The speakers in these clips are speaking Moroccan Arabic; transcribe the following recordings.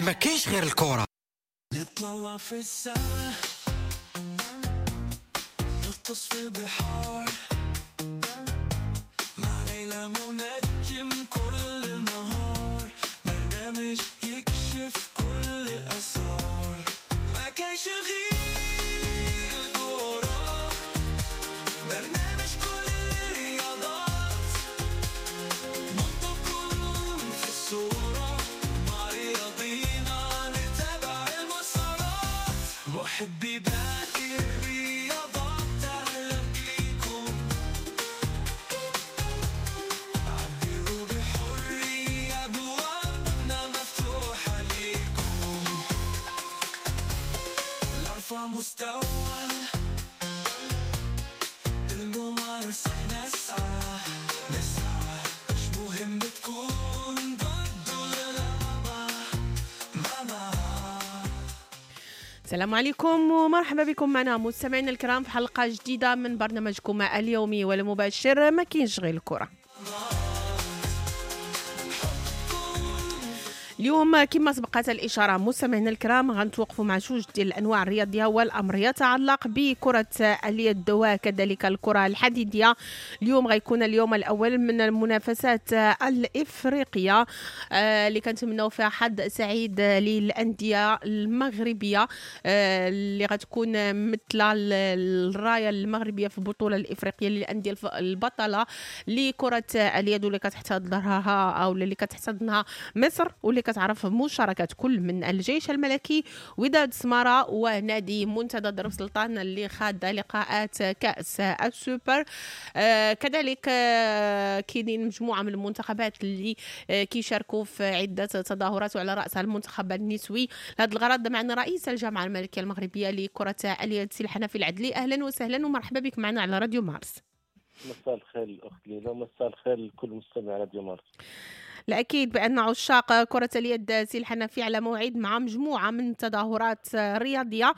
ما كاينش غير الكرة. نطلع في السما، نغطس في البحار، مع ليلى منجم كل النهار، برنامج يكشف كل الأسرار. ما كاينش غير الكرة، برنامج كل الرياضات، نحطكم في الصورة، مع رياضينا نتابع المسارات. محبي باقي الرياضات أهلا بيكم، عبروا بحرية، أبوابنا مفتوحة ليكم. لأرفع مستوى الممارسة نسعى نسعى، مش مهم تكون ضد ولا مع مع. السلام عليكم ومرحبا بكم معنا مستمعينا الكرام في حلقة جديدة من برنامجكم اليومي والمباشر ما كاينش غير الكرة. اليوم كما سبقت الإشارة مستمعينا الكرام غنتوقفوا مع جوج ديال الأنواع الرياضية، والأمر يتعلق بكرة اليد وكذلك الكرة الحديدية. اليوم غيكون اليوم الأول من المنافسات الإفريقية اللي كنتمناو فيها حظ سعيد للأندية المغربية اللي غتكون مثل الراية المغربية في البطولة الإفريقية للأندية البطلة لكرة اليد، واللي كتحتضنها أو اللي كتحتضنها مصر، واللي كتعرف مشاركة كل من الجيش الملكي، وداد سمارة، ونادي منتدى درب سلطان اللي خاض لقاءات كأس السوبر. كذلك كاينين مجموعة من المنتخبات اللي كيشاركوا في عدة تظاهرات، وعلى رأسها المنتخب النسوي. لهذا الغرض معنا رئيس الجامعة الملكية المغربية لكرة اليد سي الحنفي العدلي. أهلا وسهلا ومرحبا بك معنا على راديو مارس. مساء الخير الأخت ليلى، ومساء الخير لكل مستمع راديو مارس. الأكيد بأن عشاق كرة اليد سي الحنفي على موعد مع مجموعة من التظاهرات الرياضية.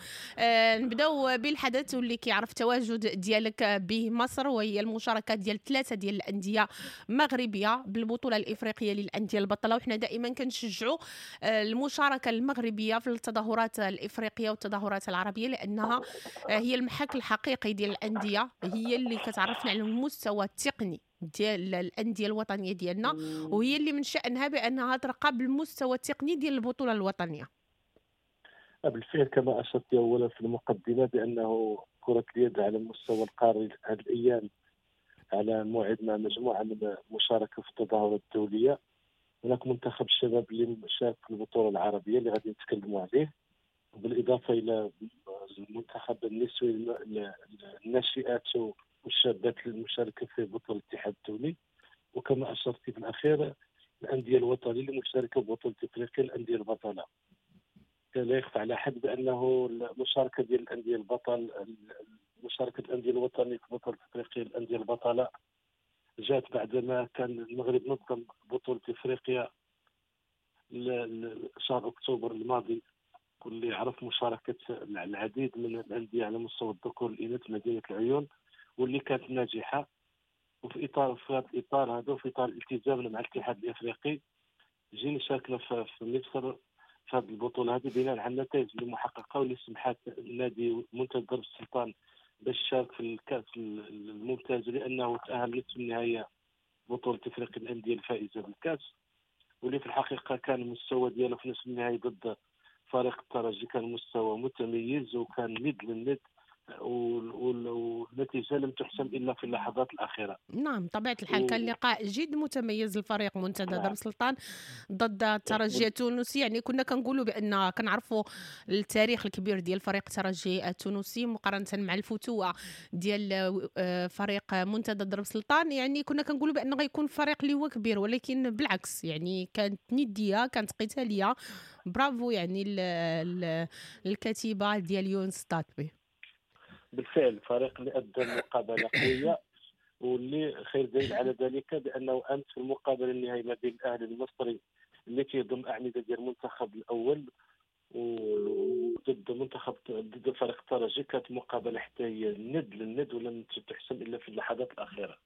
نبداو بالحدث واللي كيعرف تواجد ديالك بمصر، وهي المشاركة ديال 3 ديال الأندية مغربية بالبطولة الإفريقية للأندية البطلة. وحنا دائما كنشجعوا المشاركة المغربية في التظاهرات الإفريقية والتظاهرات العربية، لأنها هي المحك الحقيقي ديال الأندية، هي اللي كتعرفنا على المستوى التقني ديال الأندية الوطنية ديالنا، وهي اللي من شأنها بأنها ترقى بالمستوى التقني ديال البطولة الوطنية. بالفعل كما أشرت أولا في المقدمة بأنه كرة اليد على المستوى القاري هذه الأيام على موعد مع مجموعة من المشاركة في التظاهرات الدولية. هناك منتخب الشباب اللي شارك في البطولة العربية اللي غادي نتكلموا عليه، بالإضافة إلى المنتخب النسوي الناشئات والشابات المشاركة في بطولة الاتحاد الدولي، وكما أشرت في الأخير الأندية الوطنية اللي مشاركة ببطولة إفريقيا الأندية البطلة. لا يخفى على أحد بأنه المشاركة ديال الأندية البطل، مشاركة الأندية الوطنية في بطولة إفريقيا الأندية البطلة جات بعدما كان المغرب نظم بطولة إفريقيا شهر أكتوبر الماضي، واللي عرف مشاركة العديد من الأندية على مستوى الذكور والإناث مدينة العيون، واللي كانت ناجحة. وفي إطار في هذا الإطار هذا وفي إطار الالتزامنا مع الاتحاد الإفريقي جينا شاركنا في مصر في هذه البطولة هذه بناء على النتائج المحققة واللي سمحت النادي منتدى درب السلطان باش يشارك في الكأس الممتاز، لأنه تأهل نصف النهائي بطولة إفريقيا الأندية الفائزة بالكأس، واللي في الحقيقة كان المستوى ديالو في نصف النهائي ضد فريق الترجي كان مستوى متميز وكان ند للند، والنتيجة لم تحسم إلا في اللحظات الأخيرة. نعم طبيعة الحال كان لقاء جد متميز للفريق منتدى درب سلطان ضد الترجي التونسي. يعني كنا كنقولوا بأن كنعرفوا التاريخ الكبير ديال فريق الترجي التونسي مقارنة مع الفتوة ديال فريق منتدى درب سلطان، يعني كنا كنقولوا بأنه غيكون فريق اللي هو كبير، ولكن بالعكس يعني كانت ندية، كانت قتالية. برافو يعني الكتيبة ديال يونس طاطبي. بالفعل الفريق اللي أدى مقابلة قوية، واللي خير دليل على ذلك بأنه أمس في المقابلة النهائية ما بين الأهلي المصري اللي كيضم أعمدة ديال المنتخب الأول وضد منتخب ضد فريق الترجي، كانت مقابلة حتى هي الند للند ولم تحسم إلا في اللحظات الأخيرة.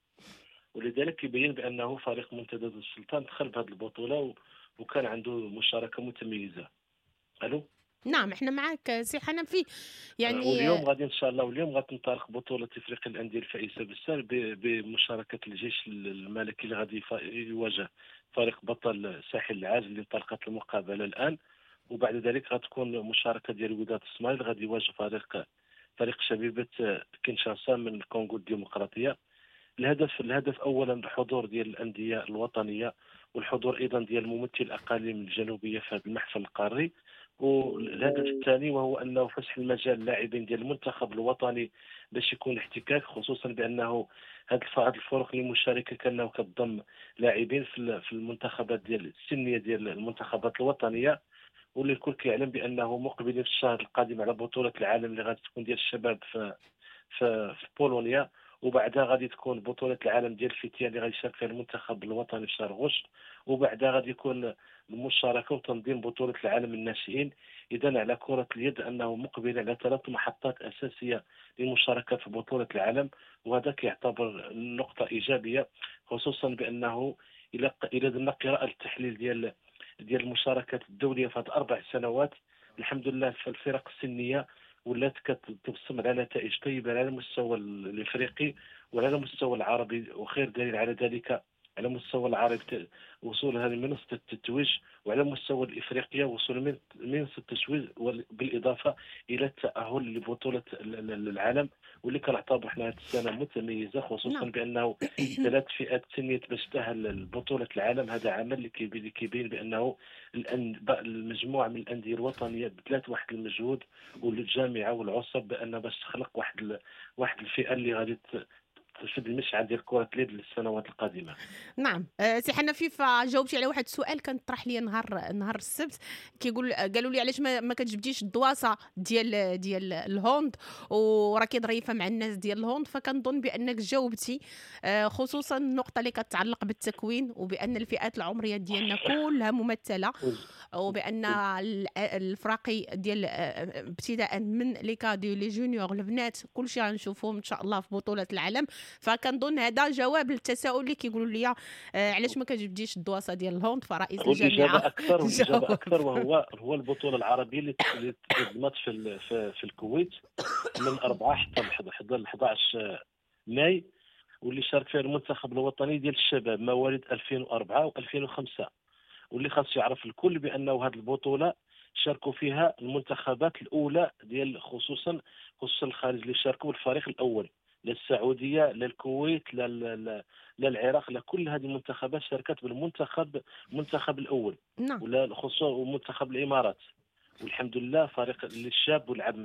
ولذلك يبين بأنه فريق منتدى السلطان دخل بهذه البطولة وكان عنده مشاركة متميزة. الو. نعم احنا معك سي حنفي. يعني واليوم غادي ان شاء الله، واليوم غتنطلق بطوله افريقيا الاندية الفائزه بالسار بمشاركة الجيش الملكي اللي غادي يواجه فريق بطل ساحل العاج اللي انطلقت المقابلة الان، وبعد ذلك غتكون مشاركة ديال وداد الصومال اللي غادي يواجه فريق شبيبة كينشاسا من الكونغو الديمقراطية. الهدف اولا الحضور ديال الاندية الوطنية، والحضور ايضا ديال ممثل الاقاليم الجنوبية في هذا المحفل القاري. والهدف الثاني وهو انه فسح المجال للاعبين ديال المنتخب الوطني باش يكون احتكاك، خصوصا بانه هذه الفرق المشاركة كانه كتضم لاعبين في المنتخبات ديال السنية ديال المنتخبات الوطنية، واللي الكل كيعلم بانه مقبلين في الشهر القادم على بطوله العالم اللي غادي تكون ديال الشباب في في, في بولونيا، وبعدها غادي تكون بطولة العالم ديال الفتيان اللي غادي يشارك فيها المنتخب الوطني في شهر غشت، وبعدها غادي يكون المشاركة وتنظيم بطولة العالم الناشئين. إذا على كرة اليد أنه مقبل على 3 محطات أساسية للمشاركة في بطولة العالم، وهذا كيعتبر نقطة إيجابية، خصوصا بأنه إلى درنا قراءة التحليل ديال المشاركات الدولية في هذه 4 سنوات، الحمد لله في الفرق السنية ولات كتبصم على نتائج طيبة على المستوى الافريقي وعلى المستوى العربي، وخير دليل على ذلك على المستوى العربي وصولها لمنصه التتويج، وعلى مستوى الافريقية وصول منصة التتويج، بالاضافة الى التاهل لبطولة العالم، واللي كنعتبر حنا هذه السنة متميزة، خصوصا بانه 3 فئات سنية باش تاهل لبطولة العالم. هذا عمل اللي كيبين بانه المجموعة من الاندية الوطنية بذلت واحد المجهود، والجامعة والعصب بان باش تخلق واحد الفئة اللي غادي تشد المشعل ديال كرة اليد للسنوات القادمة. نعم سي حنفي، فجاوبتي على واحد السؤال كان طرح لي نهار السبت، كيقول قالوا لي علاش ما كتجبديش الدواسه ديال ال hand وراكي ظريفة مع الناس ديال ال hand، فكنظن بانك جاوبتي، خصوصا النقطة اللي كتعلق بالتكوين، وبان الفئات العمرية ديالنا كلها ممثلة، وبان الفراقي ديال ابتداء من les cadets les juniors البنات كلشي غنشوفوهم ان شاء الله في بطوله العالم. فكنظن هذا جواب للتساؤل اللي كيقولوا لي علاش ما كتجبديش الدواسه ديال ال hand، فرئيس الجامعة والاجابة اكثر وهو البطولة العربية اللي تنظمت في الكويت من 4 حتى 11 ماي، واللي شارك فيها المنتخب الوطني ديال الشباب مواليد 2004 و2005، واللي خاص يعرف الكل بانه هذه البطولة شاركوا فيها المنتخبات الاولى ديال خصوصا الخارج اللي شاركوا الفريق الاول، لا السعودية لا الكويت لا العراق، لا كل هذه المنتخبات شاركت بالمنتخب الاول. نعم. ولا خصوصا منتخب الامارات، والحمد لله فريق الشاب ولعب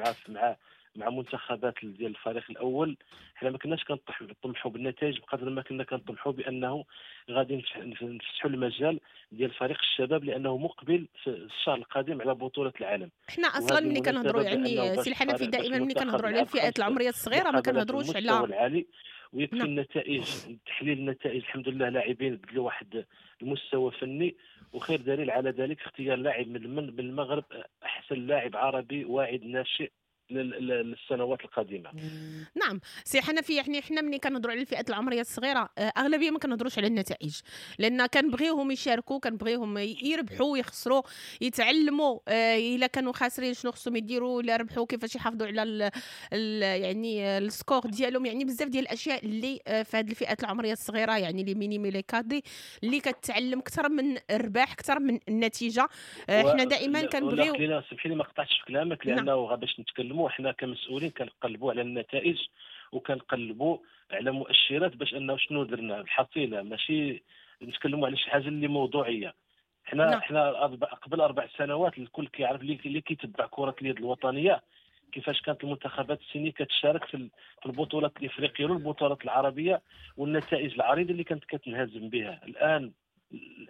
مع منتخبات ديال الفريق الاول. حنا ما كناش كنطمحوا بالنتائج بقدر ما كنا كنطمحوا بانه غادي نفتحوا المجال ديال فريق الشباب، لانه مقبل في الشهر القادم على بطوله العالم. حنا اصلا ملي كنهضروا يعني سي الحنفي دائما ملي كنهضروا على الفئات العمرية الصغيرة ما كنهضروش على العالي، ويكفي. نعم. النتائج، تحليل النتائج الحمد لله لاعبين بدلوا واحد المستوى فني، وخير دليل على ذلك اختيار لاعب من المغرب احسن لاعب عربي واعد ناشئ للسنوات القادمة. نعم سي حنفي، يعني حنا ملي كنهضروا على الفئات العمرية الصغيرة اغلبية ما كنهضروش على النتائج، لان كنبغيوهم يشاركوا، كنبغيوهم يربحوا يخسروا يتعلموا، الا كانوا خاسرين شنو خصهم يديروا، الا ربحوا كيفاش يحافظوا على ال يعني ال score ديالهم. يعني بزاف ديال الاشياء اللي في هذه الفئات العمرية الصغيرة، يعني les minimes les cadets اللي كتعلم اكثر من الرباح اكثر من النتيجة. حنا دائما كنبغيو، سمحي لي ما قطعتش في كلامك، لانه باش نتكلموا حنا كمسؤولين كنقلبوا على النتائج وكنقلبوا على مؤشرات باش انه شنو درنا الحصيلة، ماشي نتكلموا على شي حاجة اللي موضوعية. حنا نعم. حنا قبل 4 سنوات الكل كيعرف اللي كيتبع كره اليد الوطنية كيفاش كانت المنتخبات السنية كتشارك في البطولات الافريقية والبطولات العربية والنتائج العريضة اللي كانت كتنهزم بها. الان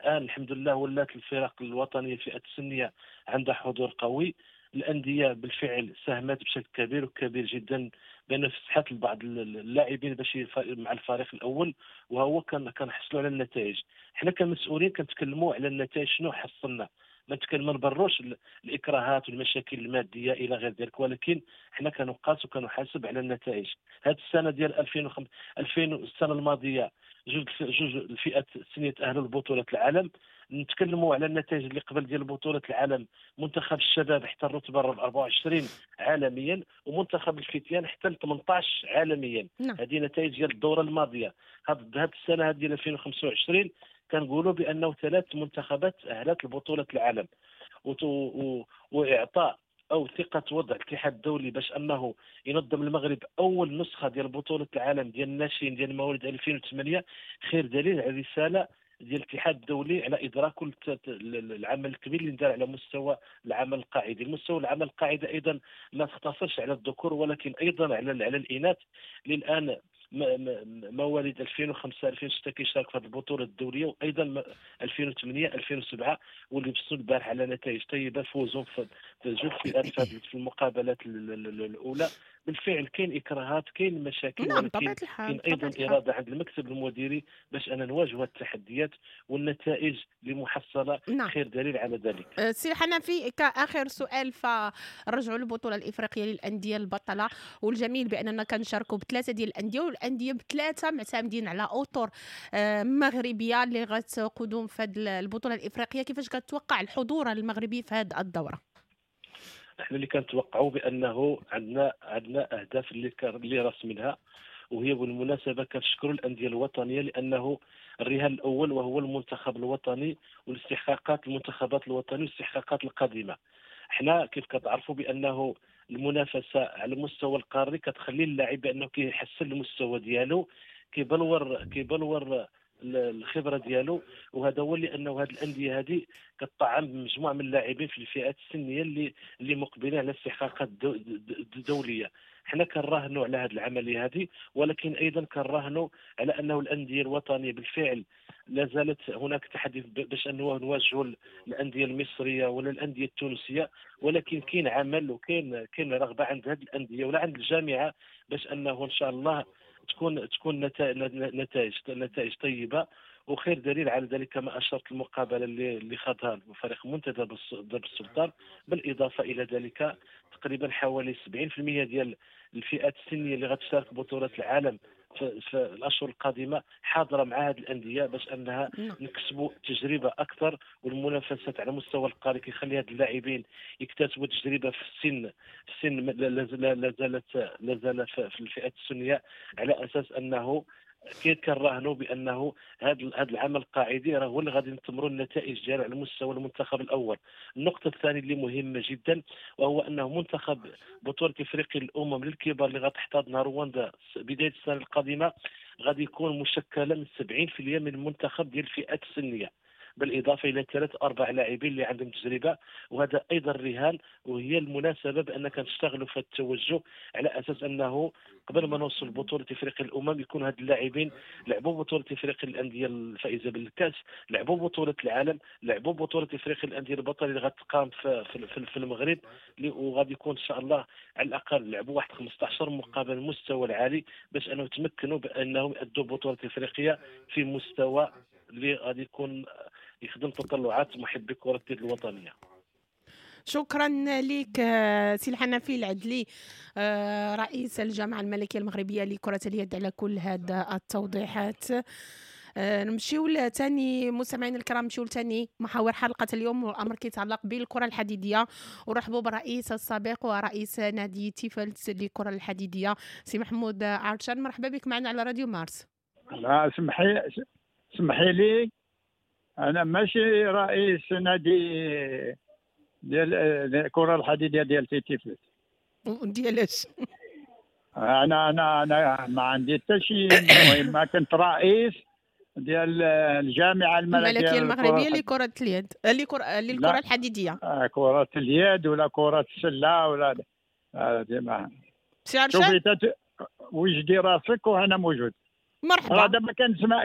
الحمد لله ولات الفرق الوطنية الفئات السنية عندها حضور قوي، الاندية بالفعل ساهمت بشكل كبير وكبير جدا بان فسحت لبعض اللاعبين باش مع الفريق الاول، وهو كنحصلوا على النتائج. حنا كمسؤولين كنتكلموا على النتائج شنو حصلنا، ما نبروش الاكراهات والمشاكل المادية الى غير ذلك، ولكن حنا كنقاس وكنحاسب على النتائج. هذه السنة ديال 2005 السنة الماضية جوج الفئات السنية تاهلوا لبطولة العالم. نتكلموا على النتائج اللي قبل ديال بطوله العالم، منتخب الشباب حتى الرتبة 24 عالميا، ومنتخب الفتيان حتى 18 عالميا. نعم. هذه نتائج ديال الدورة الماضية. هذه السنة هذه ديال 2025 كنقولوا بانه 3 منتخبات اهلت لبطولة العالم، واعطاء او ثقة وضع الاتحاد الدولي باش انه ينظم المغرب اول نسخه ديال بطوله العالم ديال الناشئين ديال مواليد 2008 خير دليل على الرسالة ديال الاتحاد الدولي على ادراك العمل الكبير اللي دار على مستوى العمل القاعدي. المستوى العمل القاعدي ايضا ما تختصرش على الذكور ولكن ايضا على الاناث. للان مواليد 2005 2006 كيشارك في هذه البطولة الدولية، وايضا 2008 2007 واللي بصوا البارح على نتائج طيبة، فوزوا في جوج فئات في المقابلات الاولى. بالفعل كاين اكراهات، كاين مشاكل، نعم ولكن كاين ايضا اراده عند المكتب المديري باش انا نواجه التحديات والنتائج المحصلة. نعم. خير دليل على ذلك. سي حنفي، كاخر سؤال، فرجعوا للبطولة الافريقية للاندية البطلة، والجميل باننا كنشاركوا بثلاثة ديال الاندية، والاندية بثلاثة معتمدين على اطر مغربية اللي غتقودهم في هذه البطولة الافريقية. كيفاش كتوقع الحضور المغربي في هذه الدورة؟ احنا اللي كنتوقعوا بانه عندنا اهداف اللي رسمناها، وهي بالمناسبة كنشكروا الاندية الوطنية لانه الرهان الاول وهو المنتخب الوطني والاستحقاقات المنتخبات الوطنية والاستحقاقات القادمة. احنا كيف كتعرفوا بانه المنافسة على المستوى القاري كتخلي اللاعب بانه كيحسن المستوى ديالو، كيبلور الخبرة ديالو، وهذا هو لانه هذه الاندية هذه كتطعم بمجموعه من اللاعبين في الفئات السنية اللي مقبلين على استحقاقات دولية. حنا كنراهنوا على هذه العملية هذه، ولكن ايضا كنراهنوا على انه الاندية الوطنية بالفعل لا زالت هناك تحدي باش انه نواجهوا الاندية المصرية ولا الاندية التونسية، ولكن كاين عمل وكاين رغبة عند هذه الاندية ولا عند الجامعة باش انه ان شاء الله تكون نتائج طيبة. وخير دليل على ذلك كما اشرت المقابلة اللي خاضها فريق منتدى درب السلطان. بالاضافة الى ذلك تقريبا حوالي 70% ديال الفئات السنية اللي غتشارك بطوله العالم في الاشهر القادمة حاضره مع هذه الاندية باش انها نكسبوا تجربه اكثر، والمنافسات على مستوى القاري كيخلي هاد اللاعبين يكتسبوا تجربه في السن لا زالت في الفئات السنية، على اساس انه كنراهنوا بانه هذا العمل القاعدي راه هو اللي غادي نثمروا النتائج ديالو على مستوى المنتخب الاول. النقطة الثانية اللي مهمة جدا وهو انه منتخب بطوله افريقيا الامم للكبار اللي غتحتضنها رواندا بداية السنة القادمة غادي يكون مشكلة من 70% من المنتخب ديال الفئات السنية، بالاضافة الى 3-4 لاعبين اللي عندهم تجربه، وهذا ايضا رهان. وهي المناسبة بان كنشتغلوا في التوجه على اساس انه قبل ما نوصل بطوله افريقيا الامم يكون هاد اللاعبين لعبوا بطوله افريقيا الاندية الفائزه بالكاس، لعبوا بطوله العالم، لعبوا بطوله افريقيا الاندية البطلة اللي غتقام في المغرب، وغادي يكون ان شاء الله على الاقل لعبوا واحد 15 مقابله المستوى العالي باش انه يتمكنوا بانهم يؤدوا بطوله افريقيا في مستوى اللي غادي يكون يخدم تطلعات محبي كرة اليد الوطنية. شكرا لك سي الحنفي العدلي، رئيس الجامعة الملكية المغربية لكرة اليد، على كل هذا التوضيحات. نمشيو لثاني مستمعين الكرام، نمشيو لثاني محاور حلقة اليوم، والأمر كيتعلق بالكرة الحديدية. ورحبوا بالرئيس السابق ورئيس نادي تيفلت للكرة الحديدية سي محمود عرشان. مرحبا بك معنا على راديو مارس. لا سمحي لي، أنا ماشي رئيس نادي ديال الكرة الحديدية ديال تيفلت. ديالاش؟ أنا أنا أنا ما عندي حتى شي. المهم كنت رئيس ديال الجامعة الملكية المغربية لكرة اليد، للكرة الحديدية. كرة اليد ولا كرة السلة ولا ديما. شوفي وجدي راسك وأنا موجود. مرحبا. دابا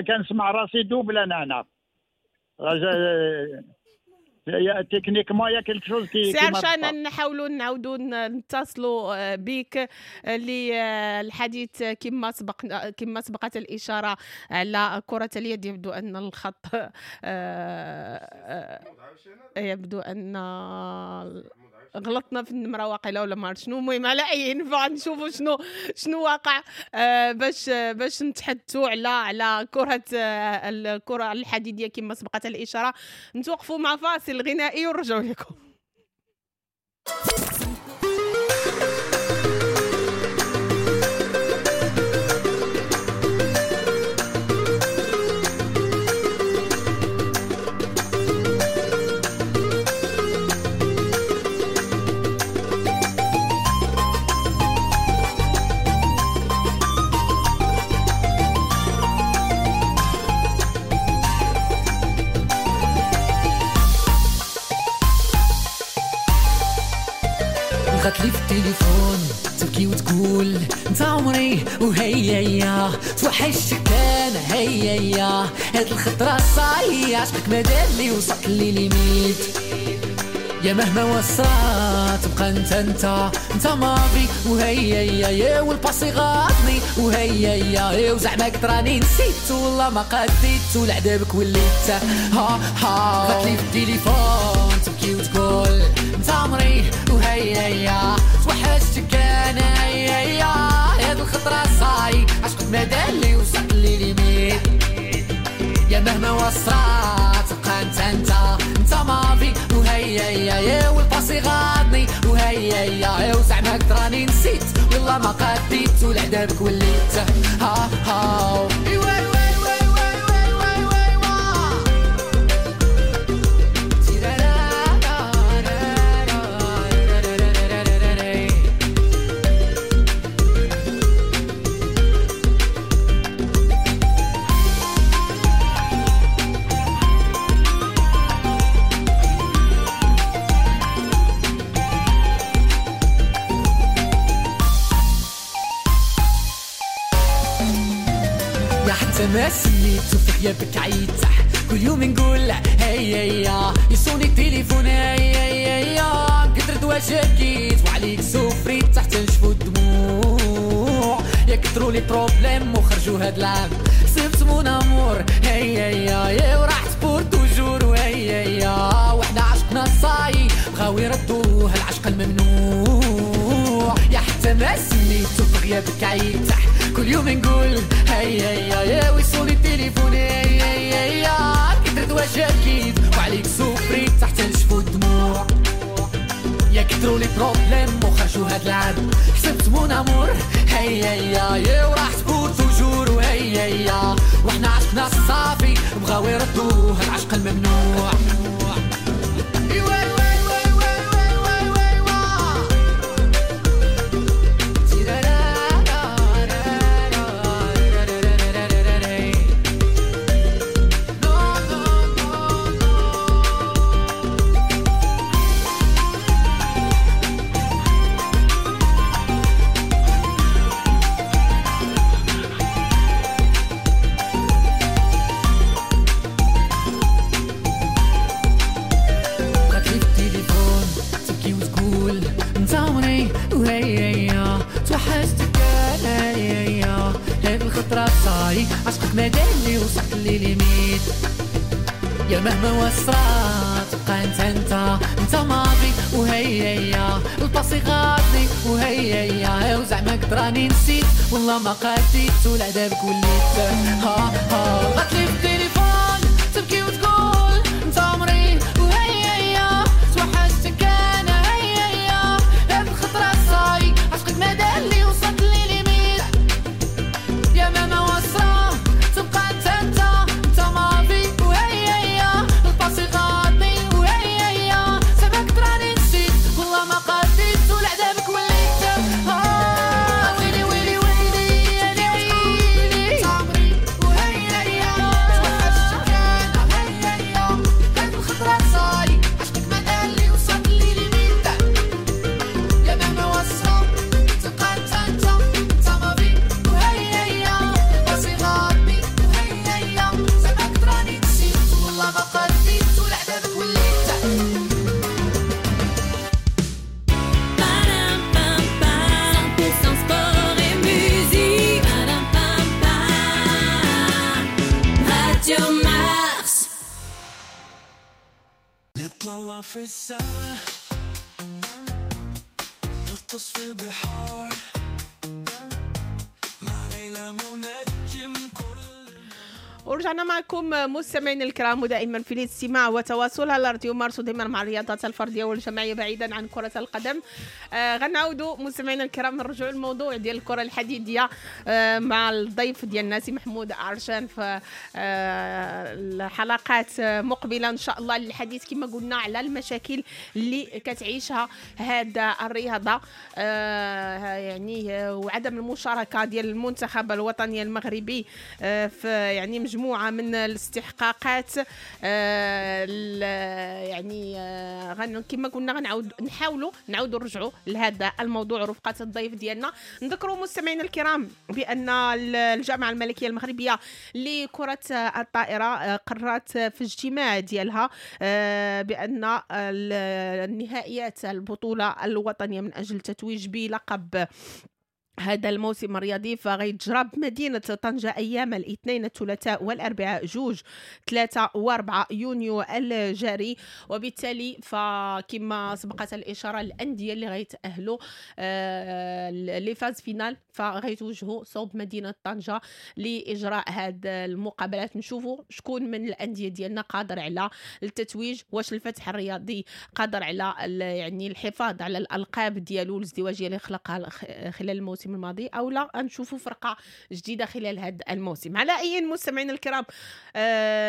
كنسمع راسي double انا هنا. techniquement y a quelque chose qui سي عرشان، نحاولوا نعاودوا نتصلوا بك للحديث كما سبقت الاشارة على كره اليد. يبدو ان الخط يبدو ان غلطنا في النمرة واقيلا ولا ما عرفت شنو. المهم على اي نشوفوا شنو واقع باش نتحدثوا على كره الكره الحديدية كما سبقت الاشارة. نتوقفوا مع فاصل غنائي ونرجعوا لكم. لي في التليفون تبكي وتقول انت عمري وهيا يا توحشتك انا هيا يا هاد الخطرة صاي عشقك ما دار لي وصلت لي limite يا مهما وصلت تبقى انت انت انت ماضي وهيا يا يا وال passé غاضني وهيا يا يا وزعما كتراني نسيت والله ما قديت ولعذابك وليت ها ها. غاتلي في التليفون تبكي وتقول انت عمري وهيا يا توحشتك انا يا يا هاد الخطرة صاي عشقك ما دار لي وصلت لي limite يا مهما وصلت تبقى انت انت انت ماضي وهيا يا يا وال passé غاضني وهيا يا وزعما كتراني نسيت والله ما قديت ولعذابك وليت ها ها. ما سنيت في غيابك عيت كل يوم نقول هيا يا يصوني التليفون هيا يا كتر دوا شكيت وعليك سوفريت تحت نشفو الدموع يا كتروا les problèmes وخرجوا هاد العام سبت mon amour هيا يا يا وراحت pour toujours وهيا يا وحنا عشقنا صاي بغاو يردوه العشق الممنوع يا حتى ما سنيت في غيابك عيت كل يوم نقول هيا يا يا ويصوني التليفون هيا يا يا كترت وشاكيت وعليك سوفريت تحت نشفو الدموع يا كتروا les problèmes وخرجوا هاد العام حسبت mon amour هيا يا يا وراحت pour toujours وهيا يا وحنا عشقنا الصافي بغاو يردوه العشق الممنوع. عشقك ما دار وصلت لي limite يا مهما وصلت تبقى انت انت انت ماضي وهيا يا ال passé غاضني وهيا يا وزعما كتراني نسيت والله ما قديت ولعذابك وليت ها ها. غاتلي في التليفون تبكي وتقول انت عمري وهيا يا توحشتك انا هيا يا هاد الخطرة صاي عشقك ما دار لي وصلت لي limite يا مهما وصلت تبقى انت انت انت ماضي وهيا يا ال passé غاضني وهيا يا زعما كتراني نسيت والله ما قديت ولعذابك وليت ها ويلي ويلي ويلي يا ويلي عمري وهيا يا توحشتك انا هيا يا هاد الخطرة صاي عشقك ما دار لي وصلت لي limite يا مهما وصلت تبقى انت انت انت ماضي وهيا يا ال passé غاضني وهيا يا زعما كتراني نسيت والله ما قديت ولعذابك وليت. Sport et musique. Radio Mars. نطلع في السما نغطس في البحار مع ليلى منجم كل. ورجعنا معكم مستمعينا الكرام، ودائما في الاستماع وتواصل على راديو مارس، ودائما مع الرياضات الفردية والجماعيه بعيدا عن كره القدم. غنعاودوا مستمعينا الكرام نرجعوا للموضوع ديال الكره الحديدية مع الضيف ديالنا سي محمود عرشان في الحلقات مقبله ان شاء الله للحديث كما قلنا على المشاكل اللي كتعيشها هذا الرياضة، يعني وعدم المشاركة ديال المنتخب الوطني المغربي في يعني مجموعة من الاستحقاقات. يعني كما قلنا غنعاود نحاولوا نعاودوا نرجعوا لهذا الموضوع رفقة الضيف ديالنا. نذكروا مستمعينا الكرام بأن الجامعة الملكية المغربية لكرة الطائرة قررت في اجتماع ديالها بأن النهائيات البطولة الوطنية من أجل التتويج بلقب هذا الموسم الرياضي فغيتجرى بمدينة طنجة أيام الاثنين الثلاثاء والأربعاء 2 3 و4 يونيو الجاري. وبالتالي فكما سبقت الإشارة الأندية اللي غيتأهلوا les phases finales فغيتوجهوا صوب مدينة طنجة لإجراء هذه المقابلات. نشوفوا شكون من الأندية ديالنا قادر على التتويج، واش الفتح الرياضي قادر على يعني الحفاظ على الألقاب ديالو الازدواجية اللي خلقها خلال الموسم الماضي، او لا نشوفوا فرقه جديدة خلال هذا الموسم. على اي مستمعينا الكرام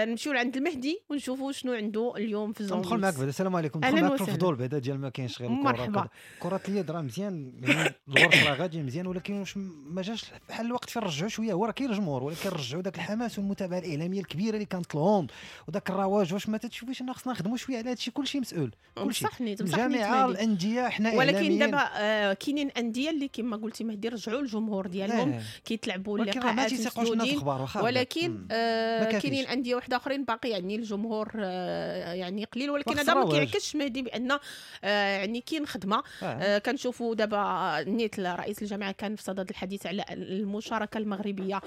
نمشيو لعند المهدي ونشوفوا شنو عنده اليوم في zone. ندخل معك بعدا. السلام عليكم. ندخل معك في الفضول بعدا ديال ما كاينش غير الكره، كره اليد راه مزيان، يعني الغرف راه غادي مزيان، ولكن واش ما جاش بحال الوقت فين رجعوا شوية؟ هو راه كاين الجمهور، ولكن رجعوا داك الحماس والمتابعة الاعلامية الكبيرة اللي كانت لهم وداك الرواج. واش ما تتشوفيش ان خصنا نخدموا شوية على هادشي؟ كلشي مسؤول، كلشي الجامعة، الاندية، حنا ولكن دابا كاينين اندية اللي كما قلتي مهدي رجعوا الجمهور ديالهم كيتلعبوا اللقاءات مسدودين، ولكن كاينين اندية واحدة اخرين باقي يعني الجمهور يعني قليل. ولكن هذا ما كيعكسش مهدي بان يعني كاين خدمة. كنشوفوا دابا نيت رئيس الجامعة كان في صدد الحديث على المشاركة المغربية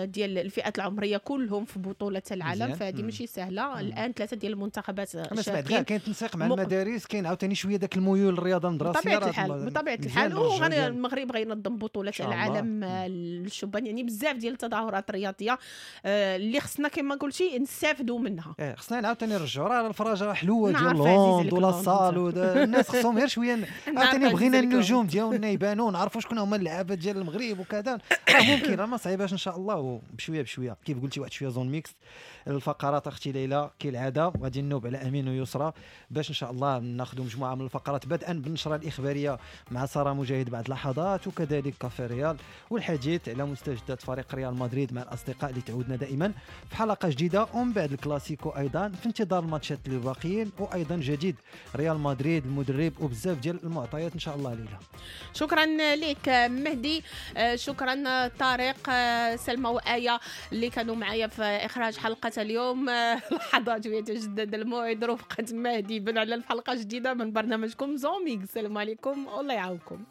ديال الفئات العمرية كلهم في بطوله العالم، فهذه ماشي سهلة. الان 3 ديال المنتخبات شاركين، كاين تنسيق مع المدارس، كاين عاوتاني شوية داك الميول الرياضة المدرسية بطبيعة الحال. والمغرب غينظم بطوله العالم للشبان، يعني بزاف ديال التظاهرات الرياضية اللي خصنا كما قلتي نستافدوا منها. خصنا عاوتاني نرجعوا راه الفراجه حلوة ديال ال hand ولا ال salle، الناس خصهم غير شوية عاوتاني بغينا النجوم ديالنا يبانوا، نعرفوا شكون هما اللعابه ديال المغرب وكذا. راه ممكن، راه ما صعيباش ان شاء الله، وبشويه بشوية كيف قلتي واحد شوية zone mixte. الفقرات اختي ليلى كالعادة غادي نوب على امين ويسرى باش ان شاء الله ناخذ مجموعة من الفقرات، بدءا بالنشره الاخبارية مع ساره مجاهد بعد لحظات، وكذلك كافي ريال والحديث على مستجدات فريق ريال مدريد مع الاصدقاء اللي تعودنا دائما في حلقة جديدة، ومن بعد الكلاسيكو ايضا في انتظار الماتشات اللي باقيين، وايضا جديد ريال مدريد المدرب وبزاف ديال المعطيات ان شاء الله. ليلى شكرا لك مهدي، شكرا طارق، سلمى وآية اللي كانوا معايا في اخراج حلقة اليوم. لحظات يتجدد الموعد رفقه مهدي بن علال في حلقة جديدة من برنامجكم zone mixte. السلام عليكم والله يعاونكم.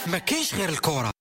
ما كاينش غير الكره.